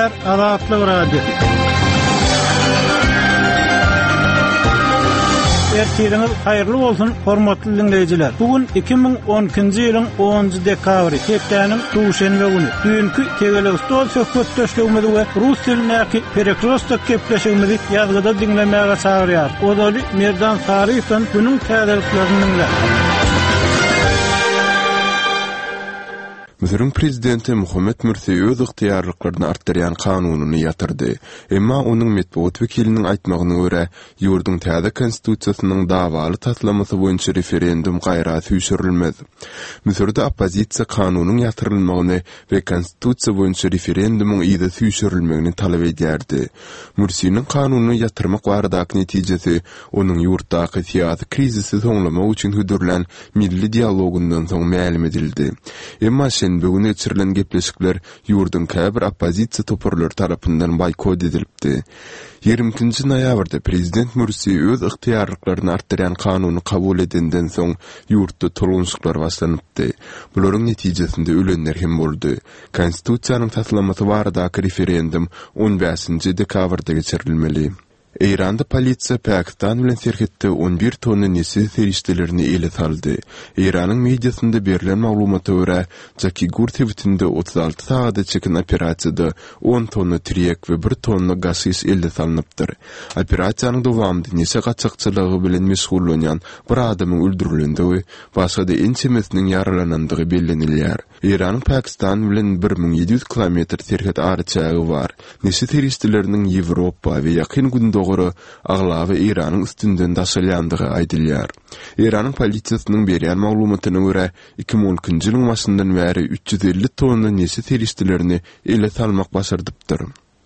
Gepleýär Azatlyk Radiosy. Ertiriňiz haýyrly bolsun, hormatly diňleýjiler! Bu gün 2012-nji ýylyň onunjy dekabry, hepdäniň duşenbe güni. Düýnki Tegelek stol söhbetdeşligimizi we rus dilindäki Perekrostok gepleşigimizi ýazgyda diňlemäge çagyrýarys. Ozaly Merdan Saryýewden günüň täzeliklerini diňläň. Müsüriň prezidenti Muhammet Mürsi öz ygtyýarlyklaryny artdyrýan kanunyny ýatyrdy. Emma onuň metbugat wekiliniň aýtmagyna görä, ýurduň täze konstitusiýasynyň dawaly taslamasy boýunça referendum gaýra süýşürilmez. Müsürde oppozisiýa kanunyň ýatyrylmagyny we konstitusiýa boýunça referendumyň yza süýşürilmegini talap edýärdi. Mürsiniň kanuny ýatyrmak baradaky netijesi onuň ýurtdaky syýasy krizisi soňlamak üçin hödürlän milli dialogyndan soň mälim edildi. Emma şenbe güni geçirilen gepleşikler ýurduň käbir oppozisiýa toparlary tarapyndan boýkot edilipdi. 22-nji noýabrda prezident Mürsi öz ygtyýarlyklaryny artdyrýan kanuny kabul edenden soň ýurtda tolgunyşyklar başlanypdy. Bularyň netijesinde ölenler hem boldy. Konstitusiýanyň taslamasy baradaky referendum on bäşinji dekabrda geçirilmeli. Eýranda polisiýa Pakistan bilen serhetde on bir tonna neşe serişdelerini ele saldy. Eýranyň mediasynda berlen maglumata görä, Jakigur sebitinde 36 sagada çeken operasiýada on tonna tirýek we bir tonna gaşiş ele salnypdyr. Operasiýanyň dowamynda neşe gaçakçylygy bilen meşgullanýan bir adamyň öldürilendigi, başga-da ençemesiniň ýaralanandygy bellenilýär. Eýranyň Pakistan bilen 1700 kilometr serhet araçägi bar. Neşe serişdeleriniň Ýewropa we Ýakyn Gündogara aglaba Eýranyň üstünden daşalýandygy aýdylýar. Eýranyň polisiýasynyň berýän maglumatyna görä, 2012-nji ýylyň başyndan bäri 350 tonna neşe serişdelerini ele salmak başardypdyr.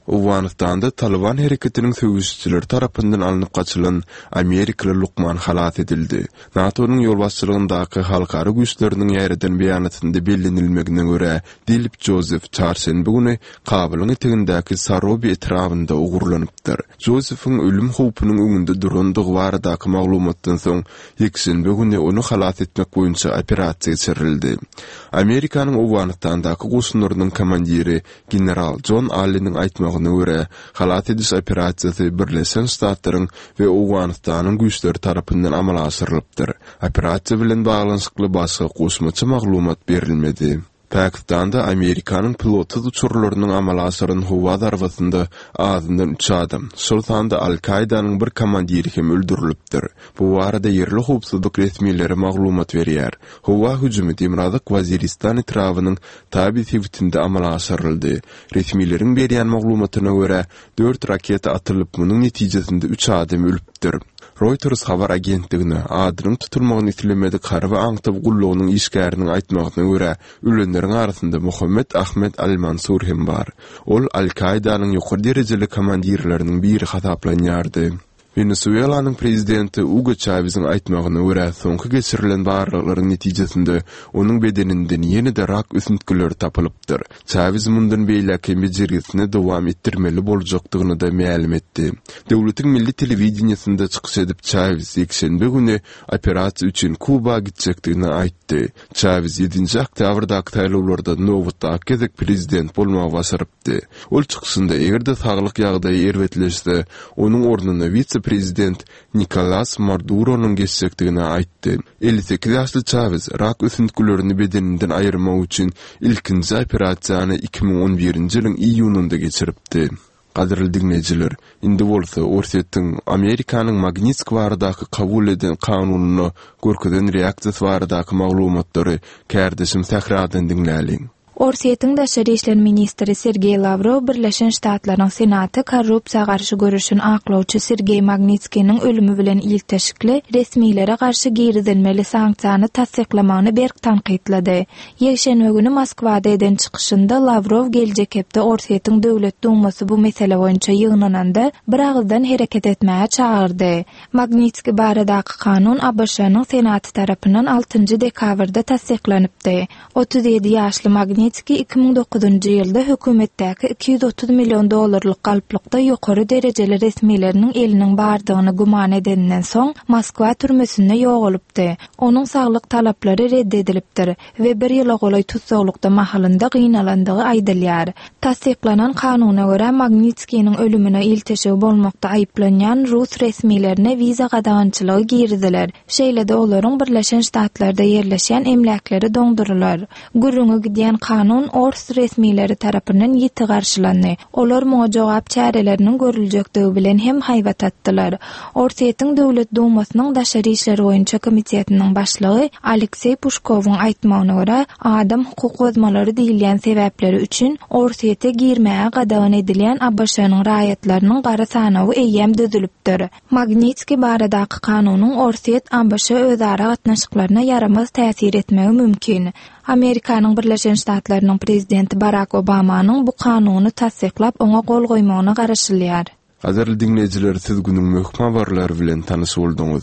Owganystanda Talyban hereketiniň söweşijileri tarapyndan alnyp gaçylan amerikaly lukman halas edildi. NATO-nyň ýolbaşçylygyndaky halkara güýçleriniň ýaýradan beýanatynda bellenilmegine görä, Dilip Jozef çarşenbe güni Kabulyň etegindäki Sarobi etrabynda ogurlanypdyr. Jozefiň ölüm howpunyň öňünde durandygy baradaky maglumatdan soň, ýekşenbe güni ony halas etmek boýunça operasiýa geçirildi. Amerikanyň Owganystandaky goşunlarynyň komandiri General Jon Alleniň aýtmagyna görä, halas ediş operasiýasy Birleşen Ştatlaryň we Owganystanyň güýçleri tarapyndan amala aşyrylypdyr. Operasiýa bilen baglanyşykly başga goşmaça maglumat berilmedi. Pakistanda Amerikanyň pilotsyz uçarlarynyň amala aşyran howa zarbasynda azyndan üç adam, şol sanda Al-Kaidanyň bir komandiri hem öldürilipdir. Bu barada ýerli howpsuzlyk resmileri maglumat berýär. Howa hüjümi Demirgazyk Waziristan etrabynyň Tabi sebitinde amala aşyryldy. Resmileriň berýän maglumatyna görä, dört raketa atylyp, munuň netijesinde üç adam ölüpdir. Reuters habar agentligine adynyň tutulmagyny islemedik harby aňtaw gullugynyň işgäriniň aýtmagyna görä, ölenleriň arasynda Muhammet Ahmed al-Mansur hem bar. Ol Al-Kaidanyň ýokary derejeli komandirleriniň biri hasaplanýardy. Wenesuelanyň prezidenti Ugo Çawesiň aýtmagyna görä, soňky geçirilen barlaglaryň netijesinde onuň bedeninden ýene-de rak ösüntgileri tapylypdyr. Çawes mundan beýläk hem bejergisini dowam etdirmeli boljakdygyny-da mälim etdi. Döwletiň milli telewideniýesinde çykyş edip, Çawes ýekşenbe güni operasiýa üçin Kuba gitjekdigini aýtdy. Çawes ýedinji oktýabrdaky saýlawlarda nobatdaky gezek prezident bolmagy başarypdy. Ol çykyşynda eger-de saglyk ýagdaýy erbetleşse, onuň ornuna wise-prezident Nikolas Maduronyň geçjekdigini aýtdy. 58 ýaşly Çawes rak ösüntgilerini bedeninden aýyrmak üçin ilkinji operasiýany 2011-nji ýylyň iýunynda geçiripdi. Gadyrly diňleýjiler, indi bolsa Orsýetiň Amerikanyň Magnitsk baradaky kabul eden kanunyna görkezen reaksiýasy baradaky maglumatlary kärdeşim Sähradan diňläliň. Orsýetiň daşary işler ministri Sergeý Lawrow Birleşen Ştatlaryň Senaty korrupsiýa garşy göreşen aklawçy Sergeý Magnitskiniň ölümi bilen ilteşikli resmilere garşy girizilmeli sanksiýany tassyklamagyny berk tankytlady. Ýekşenbe güni Moskwada eden çykyşynda Lawrow geljek hepde Orsýetiň Döwlet Dumasy bu mesele boýunça ýygnananda bir agyzdan hereket etmäge çagyrdy. Magnitskiý baradaky kanun ABŞ-nyň Senaty tarapyndan altynjy dekabrda tassyklanypdy. 37 ýaşly Magnitskiý. Magnitskiý 2009-njy ýylda hökümetdäki 230 million dollarlyk galplykda ýokary derejeli resmileriniň eliniň bardygyny güman edeninden soň, Moskwa türmesinde ýogalypdy. Onuň saglyk talaplary red edilipdir we bir ýyla golaý tussaglykda mahalynda gynalandygy aýdylýar. Tassyklanan kanuna görä, Magnitskiniň ölümine ilteşigi bolmakda aýyplanýan rus resmilerine wiza gadagançylygy giriziler, şeýle-de olaryň Birleşen Ştatlarda ýerleşýän emläkleri doňdurylar. Gürrüňi gidýän kanun ors resmileri tarapyndan ýiti garşylandy. Olar muňa jogap çäreleriniň görüljekdigi bilen hem haýbat atdylar. Orsýetiň Döwlet Dumasynyň daşary işler boýunça komitetiniň başlygy Alekseý Puşkowyň aýtmagyna görä, adam hukuk bozmalary diýilýän sebäpleri üçin Orsýete girmäge gadagan edilýän ABŞ-nyň raýatlarynyň gara sanawy eýýäm düzülipdir. Magnitskiý baradaky kanunyň Orsýet-ABŞ özara gatnaşyklaryna ýaramaz täsir etmegi mümkin. Amerikanyň Birleşen Ştatlarynyň prezidenti Barak Obamanyň bu kanuny tassyklap oňa gol goýmagyna garaşylýar. Gadyrly diňleýjiler siz günüň möhüm habarlary bilen tanyş bolduňyz.